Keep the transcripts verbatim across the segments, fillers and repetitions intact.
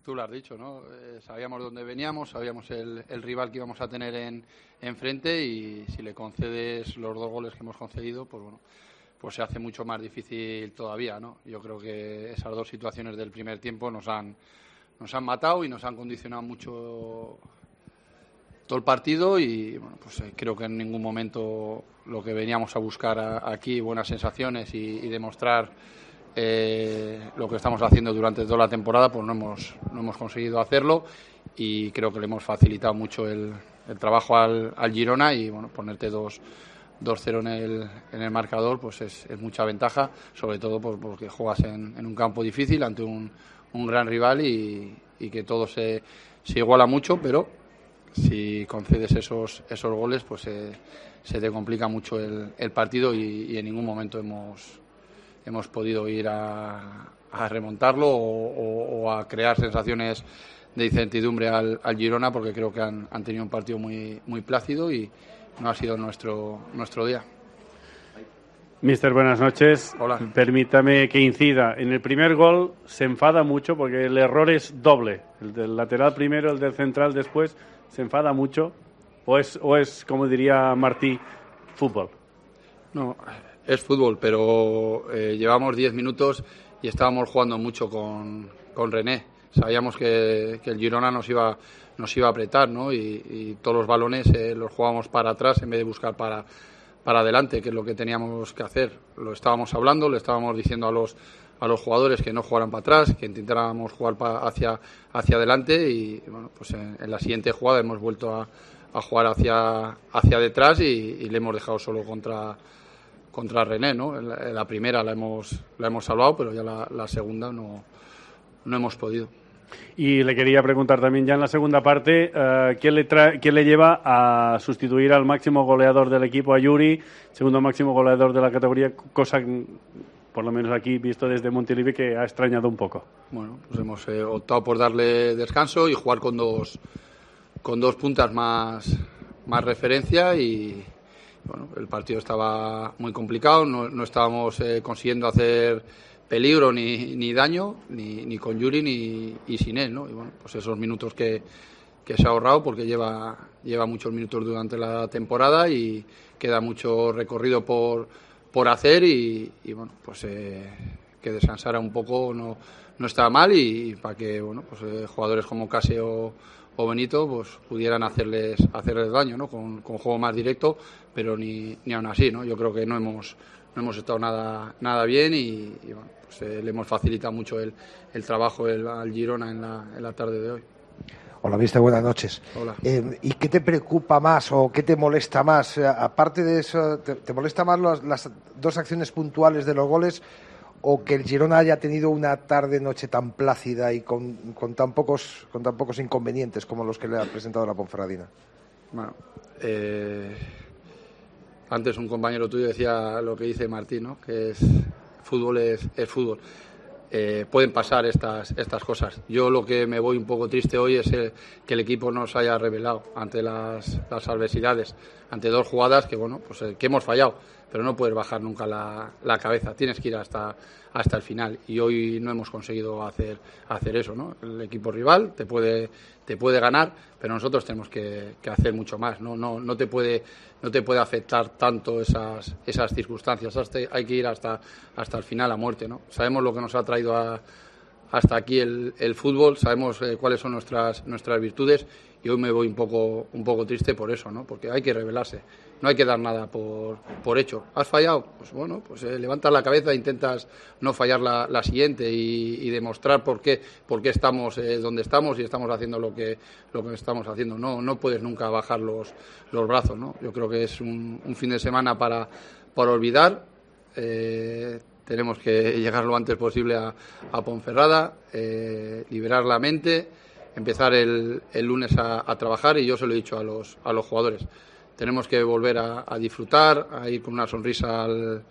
Tú lo has dicho, ¿no? Eh, sabíamos dónde veníamos, sabíamos el, el rival que íbamos a tener en enfrente y si le concedes los dos goles que hemos concedido, pues bueno, pues se hace mucho más difícil todavía, ¿no? Yo creo que esas dos situaciones del primer tiempo nos han nos han matado y nos han condicionado mucho todo el partido y bueno, pues eh, creo que en ningún momento lo que veníamos a buscar a, aquí, buenas sensaciones y, y demostrar Eh, lo que estamos haciendo durante toda la temporada, pues no hemos, no hemos conseguido hacerlo y creo que le hemos facilitado mucho el, el trabajo al, al Girona y bueno, ponerte dos cero en el, en el marcador pues es, es mucha ventaja, sobre todo pues, porque juegas en, en un campo difícil ante un, un gran rival y, y que todo se, se iguala mucho, pero si concedes esos, esos goles pues eh, se te complica mucho el, el partido y, y en ningún momento hemos hemos podido ir a, a remontarlo o, o, o a crear sensaciones de incertidumbre al, al Girona, porque creo que han, han tenido un partido muy, muy plácido y no ha sido nuestro, nuestro día. Mister, buenas noches. Hola. Permítame que incida. En el primer gol se enfada mucho porque el error es doble. El del lateral primero, el del central después. Se enfada mucho. ¿O es, o es como diría Martí, fútbol? No, es fútbol, pero eh, llevamos diez minutos y estábamos jugando mucho con, con René. Sabíamos que, que el Girona nos iba, nos iba a apretar, ¿no? Y, y todos los balones eh, los jugábamos para atrás en vez de buscar para, para adelante, que es lo que teníamos que hacer. Lo estábamos hablando, le estábamos diciendo a los, a los jugadores que no jugaran para atrás, que intentáramos jugar pa, hacia, hacia adelante y bueno, pues en, en la siguiente jugada hemos vuelto a, a jugar hacia, hacia detrás y, y le hemos dejado solo contra contra René, ¿no? En la, en la primera la hemos la hemos salvado, pero ya la, la segunda no, no hemos podido. Y le quería preguntar también ya en la segunda parte, uh, ¿quién, le trae, ¿quién le lleva a sustituir al máximo goleador del equipo, a Yuri, segundo máximo goleador de la categoría, cosa por lo menos aquí visto desde Montilivi que ha extrañado un poco? Bueno, pues hemos eh, optado por darle descanso y jugar con dos con dos puntas más, más referencia y bueno, el partido estaba muy complicado, no, no estábamos eh, consiguiendo hacer peligro ni, ni daño, ni, ni con Yuri ni y sin él, ¿no? Y bueno, pues esos minutos que, que se ha ahorrado porque lleva, lleva muchos minutos durante la temporada y queda mucho recorrido por, por hacer y, y bueno, pues eh, que descansara un poco no, no estaba mal y, y para que bueno, pues eh, jugadores como Casio o Benito pues pudieran hacerles hacerles daño, ¿no? Con, con juego más directo, pero ni, ni aún así, ¿no? Yo creo que no hemos no hemos estado nada nada bien y, y bueno, pues eh, le hemos facilitado mucho el, el trabajo el, al Girona en la, en la tarde de hoy. Hola, mister, buenas noches. Hola. Eh, ¿Y qué te preocupa más o qué te molesta más? Eh, aparte de eso, ¿te, te molesta más los, las dos acciones puntuales de los goles o que el Girona haya tenido una tarde-noche tan plácida y con, con, tan pocos, con tan pocos inconvenientes como los que le ha presentado la Ponferradina? Bueno, eh, antes un compañero tuyo decía lo que dice Martín, ¿no? Que es fútbol es, es fútbol. Eh, pueden pasar estas estas cosas. Yo lo que me voy un poco triste hoy es el, que el equipo no se haya revelado ante las, las adversidades, ante dos jugadas que bueno, pues eh, que hemos fallado, pero no puedes bajar nunca la, la cabeza, tienes que ir hasta hasta el final y hoy no hemos conseguido hacer hacer eso, ¿no? El equipo rival te puede te puede ganar, pero nosotros tenemos que, que hacer mucho más, no no no te puede no te puede afectar tanto esas esas circunstancias, hasta, hay que ir hasta hasta el final a muerte, ¿no? Sabemos lo que nos ha traído a, hasta aquí el, el fútbol, sabemos eh, cuáles son nuestras nuestras virtudes y hoy me voy un poco un poco triste por eso, ¿no? Porque hay que rebelarse, no hay que dar nada por por hecho. ¿Has fallado? Pues bueno, pues eh, levantas la cabeza e intentas no fallar la, la siguiente y, y demostrar por qué por qué estamos eh, donde estamos y estamos haciendo lo que lo que estamos haciendo. No no puedes nunca bajar los los brazos, ¿no? Yo creo que es un, un fin de semana para para olvidar. Eh, tenemos que llegar lo antes posible a, a Ponferrada, eh, liberar la mente, empezar el, el lunes a, a trabajar y yo se lo he dicho a los a los jugadores. Tenemos que volver a, a disfrutar, a ir con una sonrisa al,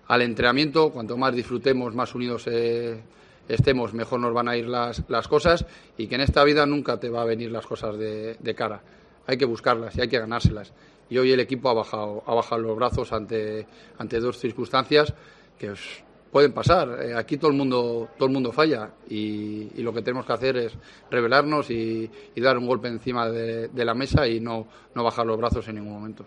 al entrenamiento. Cuanto más disfrutemos, más unidos eh, estemos, mejor nos van a ir las, las cosas y que en esta vida nunca te va a venir las cosas de, de cara. Hay que buscarlas y hay que ganárselas. Y hoy el equipo ha bajado, ha bajado los brazos ante, ante dos circunstancias que os, pueden pasar. Eh, aquí todo el mundo todo el mundo falla y, y lo que tenemos que hacer es rebelarnos y, y dar un golpe encima de, de la mesa y no, no bajar los brazos en ningún momento.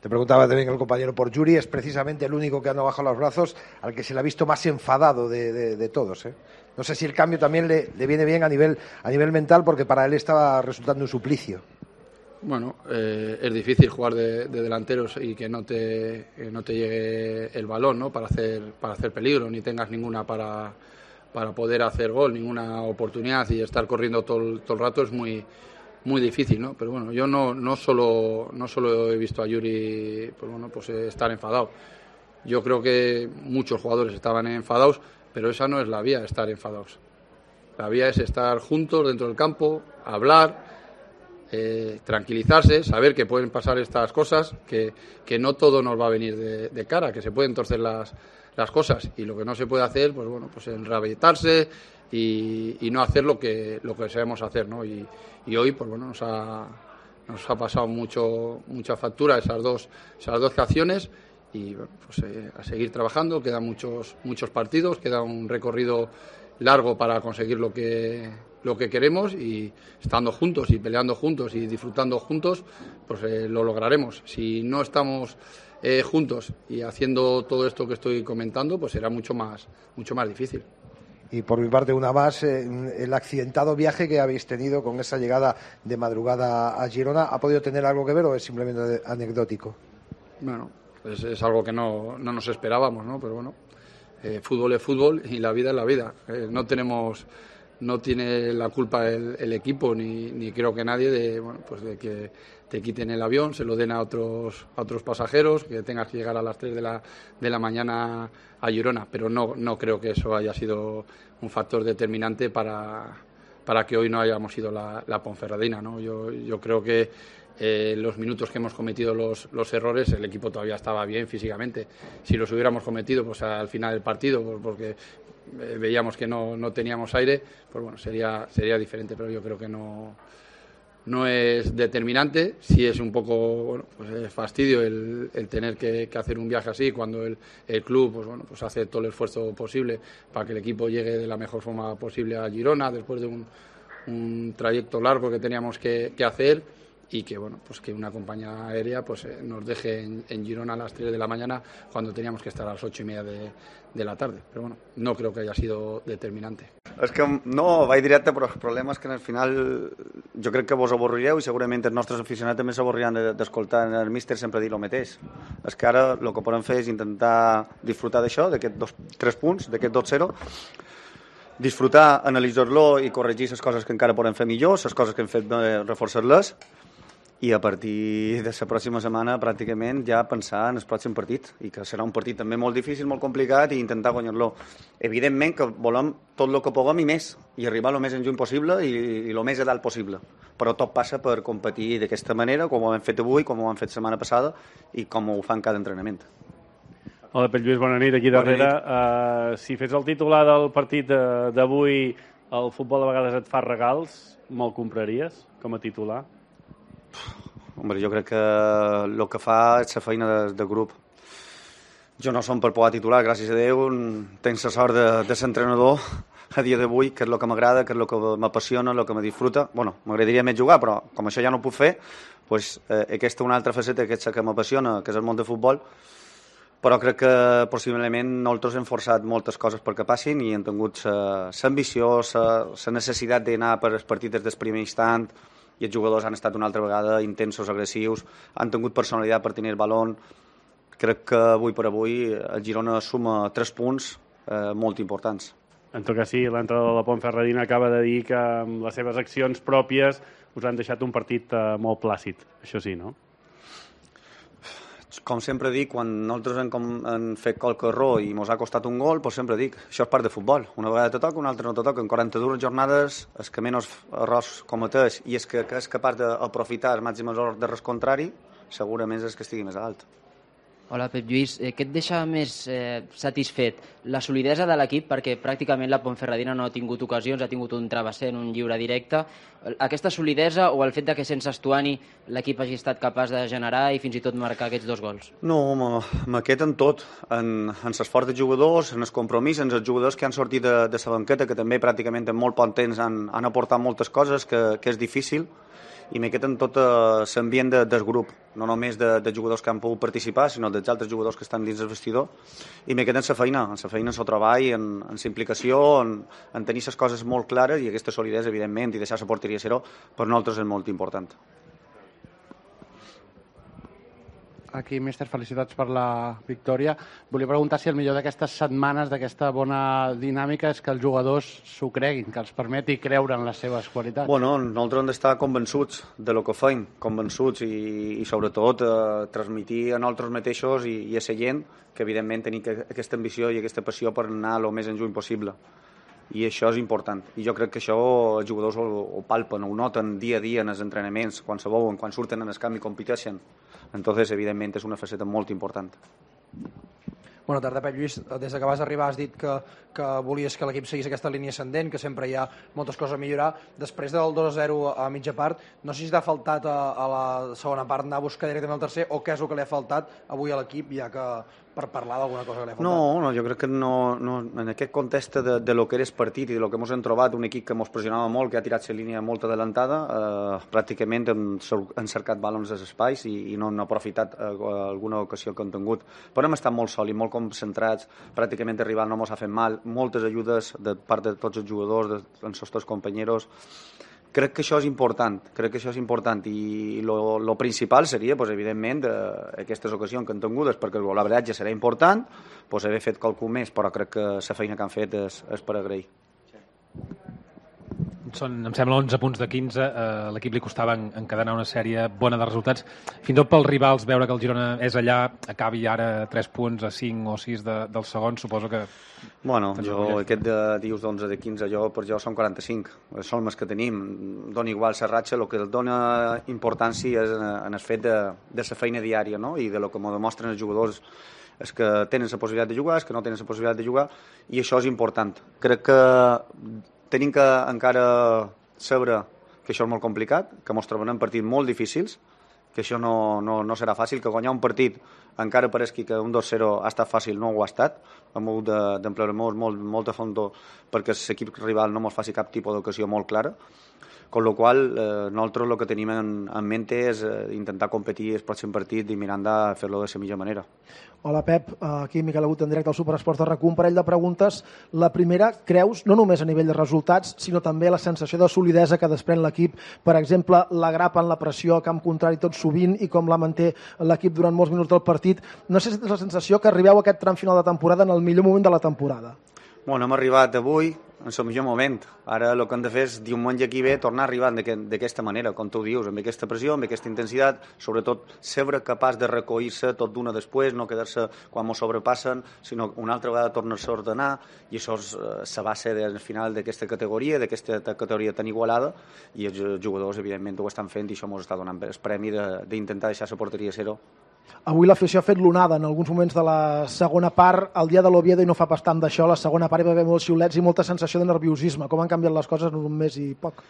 Te preguntaba también el compañero por Yuri, es precisamente el único que ha no bajado los brazos, al que se le ha visto más enfadado de, de, de todos, ¿eh? No sé si el cambio también le, le viene bien a nivel, a nivel mental, porque para él estaba resultando un suplicio. Bueno, eh, es difícil jugar de, de delanteros y que no te que no te llegue el balón, ¿no? Para hacer para hacer peligro, ni tengas ninguna para, para poder hacer gol, ninguna oportunidad, y estar corriendo todo el, todo el rato es muy muy difícil, ¿no? Pero bueno, yo no no solo no solo he visto a Yuri, pues bueno, pues estar enfadado. Yo creo que muchos jugadores estaban enfadados, pero esa no es la vía, estar enfadados. La vía es estar juntos dentro del campo, hablar, eh, tranquilizarse, saber que pueden pasar estas cosas, que, que no todo nos va a venir de, de cara, que se pueden torcer las, las cosas, y lo que no se puede hacer, pues bueno, pues enrabiarse y, y no hacer lo que lo que sabemos hacer, ¿no? Y, y hoy, pues bueno, nos ha nos ha pasado mucho mucha factura esas dos esas dos acciones. Y bueno, pues eh, a seguir trabajando, quedan muchos muchos partidos, queda un recorrido largo para conseguir lo que lo que queremos, y estando juntos y peleando juntos y disfrutando juntos, pues eh, lo lograremos. Si no estamos eh, juntos y haciendo todo esto que estoy comentando, pues será mucho más mucho más difícil. Y por mi parte, una más, eh, el accidentado viaje que habéis tenido con esa llegada de madrugada a Girona, ¿ha podido tener algo que ver o es simplemente anecdótico? Bueno, es, es algo que no, no nos esperábamos, ¿no? Pero bueno, eh, fútbol es fútbol y la vida es la vida. Eh, no tenemos, no tiene la culpa el, el equipo ni, ni creo que nadie de, bueno, pues de que te quiten el avión, se lo den a otros a otros pasajeros, que tengas que llegar a las tres de la de la mañana a Girona. Pero no no creo que eso haya sido un factor determinante para para que hoy no hayamos ido la, la Ponferradina, ¿no? Yo yo creo que Eh, los minutos que hemos cometido los, los errores, el equipo todavía estaba bien físicamente. Si los hubiéramos cometido pues al final del partido, pues, porque eh, veíamos que no, no teníamos aire, pues bueno, sería sería diferente, pero yo creo que no no es determinante. Sí es un poco, bueno, pues es fastidio el, el tener que, que hacer un viaje así cuando el, el club pues bueno, pues hace todo el esfuerzo posible para que el equipo llegue de la mejor forma posible a Girona después de un, un trayecto largo que teníamos que, que hacer. Y que bueno, pues que una compañía aérea pues eh, nos deje en, en Girona a las tres de la mañana cuando teníamos que estar a las ocho y media de, de la tarde. Pero bueno, no creo que haya sido determinante. És que no, vaig directe, però el problema és que al final jo crec que vos avorrireu i segurament els nostres aficionats també s'avorriran d'escoltar el míster sempre dir el mateix. És que ara el que podem fer és intentar disfrutar d'això, d'aquests tres punts, d'aquest dos zero, disfrutar, analitzar-lo i corregir les coses que encara podem fer millor, les coses que hem fet eh, reforçar-les, i a partir de la pròxima setmana pràcticament ja pensar en el pròxim partit, i que serà un partit també molt difícil, molt complicat, i intentar guanyar-lo. Evidentment que volem tot el que puguem i més, i arribar el més en juny possible i, i el més a dalt possible, però tot passa per competir d'aquesta manera, com ho hem fet avui, com ho hem fet la setmana passada i com ho fan cada entrenament. Hola, Pep Lluís, bona nit, aquí darrere. Uh, si fes el titular del partit d'avui, el futbol de vegades et fa regals, me'l compraries com a titular? Hombre, jo crec que el que fa és la feina de, de grup. Jo no som per poder titular, gràcies a Déu, tenc la sort de, de ser entrenador a dia d'avui, que és el que m'agrada, que és el que m'apassiona, el que me disfruta. Bueno, m'agradaria més jugar, però com això ja no ho puc fer, pues, eh, aquesta és una altra faceta que és la que m'apassiona, que és el món de futbol, però crec que possiblement nosaltres hem forçat moltes coses perquè passin i hem tingut l'ambició, la necessitat d'anar per els partits des del primer instant, i els jugadors han estat una altra vegada intensos, agressius, han tingut personalitat per tenir el balón. Crec que avui per avui el Girona suma tres punts eh, molt importants. En tot cas, sí, l'entrenador de la Ponferradina acaba de dir que amb les seves accions pròpies us han deixat un partit eh, molt plàcid. Això sí, no? Com sempre dic, quan nosaltres hem, com, hem fet qualque error i ens ha costat un gol, doncs sempre dic, això és part de futbol. Una vegada te toca, una altra no te toca. En quaranta-dues jornades, el que menys errors cometeix i és que, que és capaç d'aprofitar els màxims errors de res contrari, segurament és que estigui més alt. Hola, Pep Lluís. Eh, què et deixa més eh, satisfet? La solidesa de l'equip, perquè pràcticament la Ponferradina no ha tingut ocasions, ha tingut un travesser en un lliure directe. Aquesta solidesa o el fet de que sense Estuani l'equip hagi estat capaç de generar i fins i tot marcar aquests dos gols? No, m'aquest en tot, en, en l'esforç de jugadors, en el compromís, en els jugadors que han sortit de, de la banqueta, que també pràcticament en molt poc temps han, han aportat moltes coses, que, que és difícil, i m'he quedat en tot l'ambient de, del grup, no només de, de jugadors que han pogut participar, sinó dels altres jugadors que estan dins del vestidor, i m'he quedat en la feina, en la feina, en el treball, en, en la implicació, en, en tenir les coses molt clares, i aquesta solidesa, evidentment, i deixar la porteria a zero, per nosaltres és molt important. Aquí, míster, felicitats per la victòria. Volia preguntar si el millor d'aquestes setmanes, d'aquesta bona dinàmica, és que els jugadors s'ho creguin, que els permeti creure en les seves qualitats. Bueno, nosaltres hem d'estar convençuts de lo que fem, convençuts i, i sobretot eh, transmitir a nosaltres mateixos i, i a la gent que evidentment tenim aquesta ambició i aquesta passió per anar el més enlluny possible. I això és important. I jo crec que això els jugadors ho, ho palpen, ho noten dia a dia en els entrenaments, quan se veuen, quan surten en el camp i competeixen. Entonces, evidentment, és una faceta molt important. Bona tarda, Pep Lluís. Des que vas arribar has dit que, que volies que l'equip seguís aquesta línia ascendent, que sempre hi ha moltes coses a millorar. Després del dos a zero a mitja part, no sé si t'ha faltat a, a la segona part anar a buscar directament el tercer o què és el que li ha faltat avui a l'equip, ja que per parlar d'alguna cosa que li ha faltat. No, no, jo crec que no, no, en aquest context de, de lo que era el partit i de lo que ens hem trobat, un equip que ens pressionava molt, que ha tirat la línia molt adelantada, eh, pràcticament hem, hem cercat balons als espais i, i no han aprofitat eh, alguna ocasió que han tingut. Però hem estat molt sòlids, molt concentrats, pràcticament el rival no ens ha fet mal, moltes ajudes de part de tots els jugadors, de, dels nostres companys. Crec que això és important, crec que això és important i lo, lo principal seria, pues, evidentment, eh, aquestes ocasions que han tingut, perquè el golaveratge serà important, pues, haver fet qualcom més, però crec que la feina que han fet és, és per agrair. Són, em sembla, onze punts de quinze. A l'equip li costava encadenar una sèrie bona de resultats. Fins i tot pels rivals, veure que el Girona és allà, acabi ara tres punts a cinc o sis de, del segon, suposo que... Bueno, jo aquest de dius d'onze de quinze, jo per jo són quaranta-cinc. Són els que tenim. Dona igual la ratxa, el que dona importància és en el fet de, de la feina diària, no? I de lo que m'ho demostren els jugadors és que tenen la possibilitat de jugar, és que no tenen la possibilitat de jugar, i això és important. Crec que tenim que encara saber que això és molt complicat, que ens trobem en partits molt difícils, que això no, no, no serà fàcil, que guanyar un partit encara pareixi que un dos zero ha estat fàcil, no ho ha estat, hem hagut d'emplear-nos molt, molta fondo perquè l'equip rival no ens faci cap tipus d'ocasió molt clara, con lo qual eh, nosaltres el que tenim en, en mente és eh, intentar competir el pròxim partit i mirant de fer-lo de la millor manera. Hola Pep, aquí Miquel Agut en directe al Superesports de RAC u, un parell de preguntes. La primera, creus, no només a nivell de resultats, sinó també la sensació de solidesa que desprèn l'equip, per exemple, la grapa en la pressió a camp contrari tot sovint i com la manté l'equip durant molts minuts del partit. No sé si tens la sensació que arribeu a aquest tram final de temporada en el millor moment de la temporada. Bueno, hem arribat avui en el millor moment. Ara el que hem de fer és, diumenge aquí ve, tornar a arribar d'aquesta manera, com tu dius, amb aquesta pressió, amb aquesta intensitat, sobretot ser capaç de recollir-se tot d'una després, no quedar-se quan ens sobrepassen, sinó una altra vegada tornar-se a ordenar, i això és la base del final d'aquesta categoria, d'aquesta categoria tan igualada, i els jugadors, evidentment, ho estan fent, i això ens està donant el premi d'intentar deixar la porteria a zero. Avui l'afició ha fet l'onada en alguns moments de la segona part, el dia de l'Oviedo, i no fa pas tant d'això, la segona part hi va haver molts xiulets i molta sensació de nerviosisme. Com han canviat les coses en un mes i poc?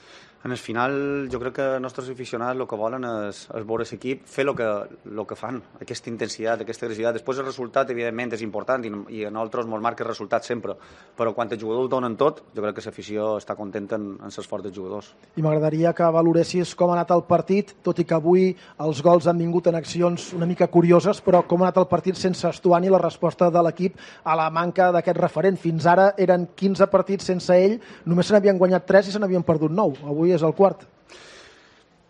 En el final, jo crec que els nostres aficionats el que volen és, és veure l'equip fer el que, lo que fan, aquesta intensitat, aquesta agressivitat. Després el resultat, evidentment, és important i, i a nosaltres ens marca el resultat sempre, però quan els jugadors ho donen tot, jo crec que l'afició està contenta en, en l'esforç dels jugadors. I m'agradaria que valoressis com ha anat el partit, tot i que avui els gols han vingut en accions una mica curioses, però com ha anat el partit sense Estuani, la resposta de l'equip a la manca d'aquest referent. Fins ara eren quinze partits sense ell, només se n'havien guanyat tres i se n'havien perdut nou. Avui és el quart.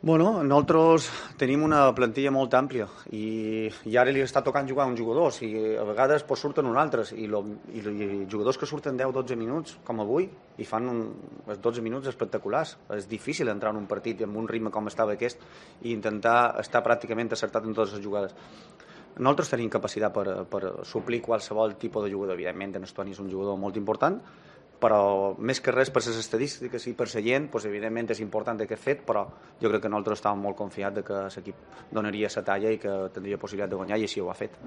Bueno, nosaltres tenim una plantilla molt àmplia i, i ara li està tocant jugar a uns jugadors i a vegades pues, surten uns altres i, lo, i, i jugadors que surten deu dotze minuts com avui i fan un, dotze minuts espectaculars. És difícil entrar en un partit amb un ritme com estava aquest i intentar estar pràcticament acertat en totes les jugades. Nosaltres tenim capacitat per, per suplir qualsevol tipus de jugador. Evidentment, en Estuani és un jugador molt important, però més que res per les estadístiques i per la gent, doncs, evidentment és important aquest fet, però jo crec que nosaltres estàvem molt confiats de que l'equip donaria la talla i que tindria possibilitat de guanyar, i així ho ha fet.